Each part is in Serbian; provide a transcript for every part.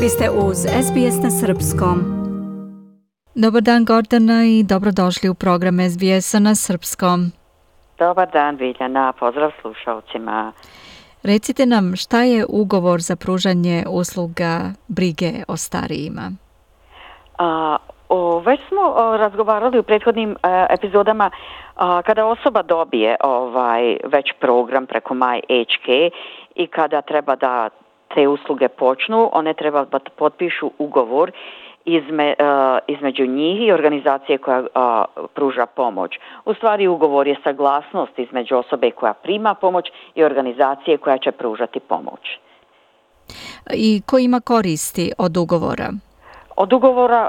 Vi ste uz SBS na Srpskom. Dobar dan Gordana i dobrodošli u program SBS na Srpskom. Dobar dan Biljana, pozdrav slušalcima. Recite nam šta je ugovor za pružanje usluga brige o starijima? Već smo razgovarali u prethodnim epizodama kada osoba dobije već program preko MyHK i kada treba da te usluge počnu, one treba da potpišu ugovor između njih i organizacije koja pruža pomoć. U stvari ugovor je saglasnost između osobe koja prima pomoć i organizacije koja će pružati pomoć. I ko ima koristi od ugovora? Od ugovora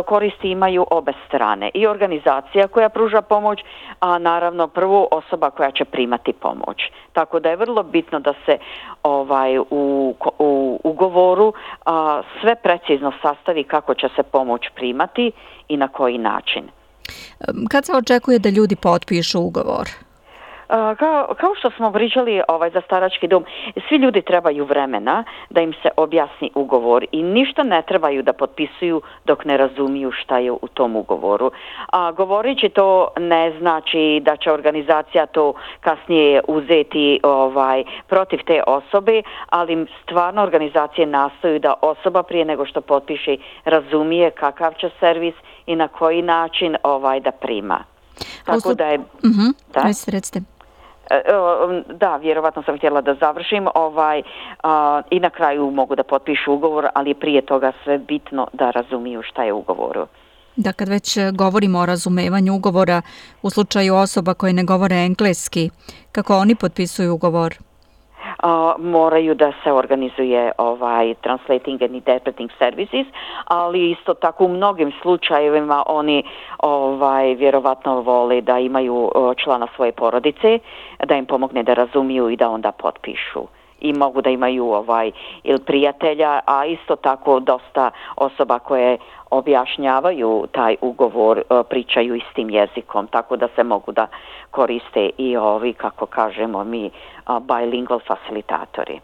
koristi imaju obe strane, i organizacija koja pruža pomoć, a naravno prvo osoba koja će primati pomoć. Tako da je vrlo bitno da se u ugovoru sve precizno sastavi kako će se pomoć primati i na koji način. Kad se očekuje da ljudi potpišu ugovor? Kao što smo pričali za starački dom, svi ljudi trebaju vremena da im se objasni ugovor i ništa ne trebaju da potpisuju dok ne razumiju šta je u tom ugovoru. Govoreći to ne znači da će organizacija to kasnije uzeti protiv te osobe, ali stvarno organizacije nastoju da osoba prije nego što potpiše razumije kakav će servis i na koji način da prima. Tako da je... Recite. Da, vjerovatno sam htjela da završim i na kraju mogu da potpišu ugovor, ali prije toga sve bitno da razumiju šta je u ugovoru. Da, kad već govorimo o razumevanju ugovora u slučaju osoba koje ne govore engleski, kako oni potpisuju ugovor? Moraju da se organizuje translating and interpreting services, ali isto tako u mnogim slučajevima oni vjerovatno vole da imaju člana svoje porodice, da im pomogne da razumiju i da onda potpišu. I mogu da imaju ili prijatelja, a isto tako dosta osoba koje objašnjavaju taj ugovor, pričaju istim jezikom, tako da se mogu da koriste i ovi, kako kažemo mi, bilingual facilitatori,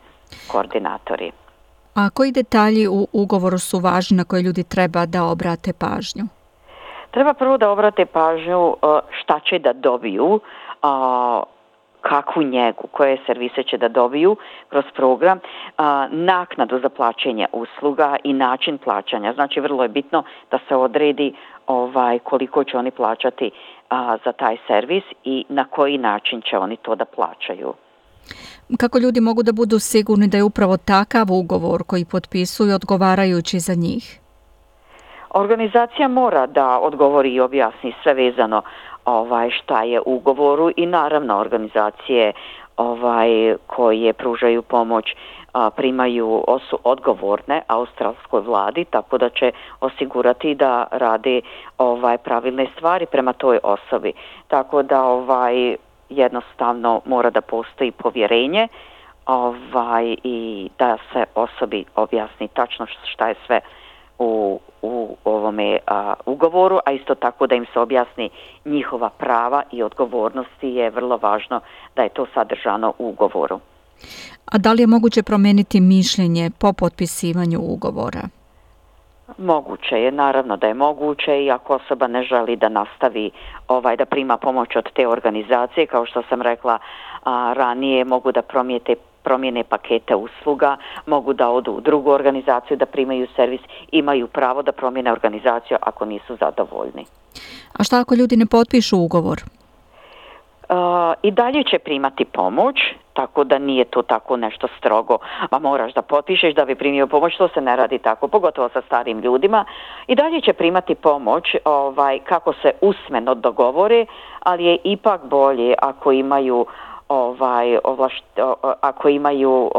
koordinatori. A koji detalji u ugovoru su važni na koje ljudi treba da obrate pažnju? Treba prvo da obrate pažnju šta će da dobiju, kakvu njegu, koje servise će da dobiju kroz program, naknadu za plaćanje usluga i način plaćanja. Znači, vrlo je bitno da se odredi koliko će oni plaćati za taj servis i na koji način će oni to da plaćaju. Kako ljudi mogu da budu sigurni da je upravo takav ugovor koji potpisuju odgovarajući za njih? Organizacija mora da odgovori i objasni sve vezano šta je u ugovoru i naravno organizacije koje pružaju pomoć su odgovorne australskoj vladi, tako da će osigurati da rade pravilne stvari prema toj osobi. Tako da jednostavno mora da postoji povjerenje i da se osobi objasni tačno šta je sve u ovome ugovoru, a isto tako da im se objasni njihova prava i odgovornosti, je vrlo važno da je to sadržano u ugovoru. A da li je moguće promijeniti mišljenje po potpisivanju ugovora? Moguće je, naravno da je moguće, i ako osoba ne želi da nastavi da prima pomoć od te organizacije, kao što sam rekla ranije, mogu da promijene pakete usluga, mogu da odu u drugu organizaciju da primaju servis, imaju pravo da promijene organizaciju ako nisu zadovoljni. A šta ako ljudi ne potpišu ugovor? I dalje će primati pomoć, tako da nije to tako nešto strogo, a moraš da potpišeš da bi primio pomoć, to se ne radi tako, pogotovo sa starim ljudima. I dalje će primati pomoć kako se usmeno dogovore, ali je ipak bolje ako imaju ako imaju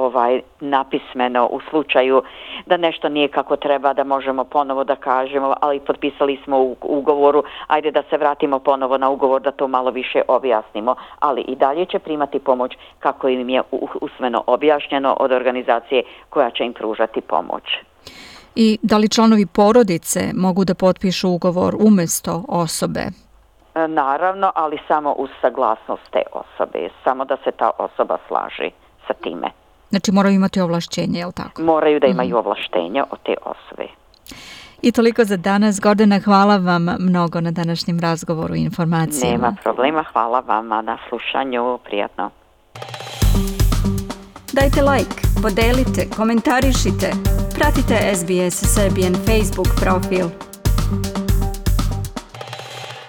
napismeno u slučaju da nešto nije kako treba, da možemo ponovo da kažemo, ali potpisali smo u ugovoru, ajde da se vratimo ponovo na ugovor da to malo više objasnimo, ali i dalje će primati pomoć kako im je usmeno objašnjeno od organizacije koja će im pružati pomoć. I da li članovi porodice mogu da potpišu ugovor umjesto osobe? Naravno, ali samo uz saglasnost te osobe, samo da se ta osoba slaži sa time. Znači moraju imati ovlašćenje, je li tako? Moraju da imaju ovlaštenja od te osobe. I toliko za danas. Gordana, hvala vam mnogo na današnjem razgovoru i informacijama. Nema problema, hvala vama na slušanju, prijatno. Dajte like, podelite, komentarišite. Pratite SBS Serbian Facebook profil.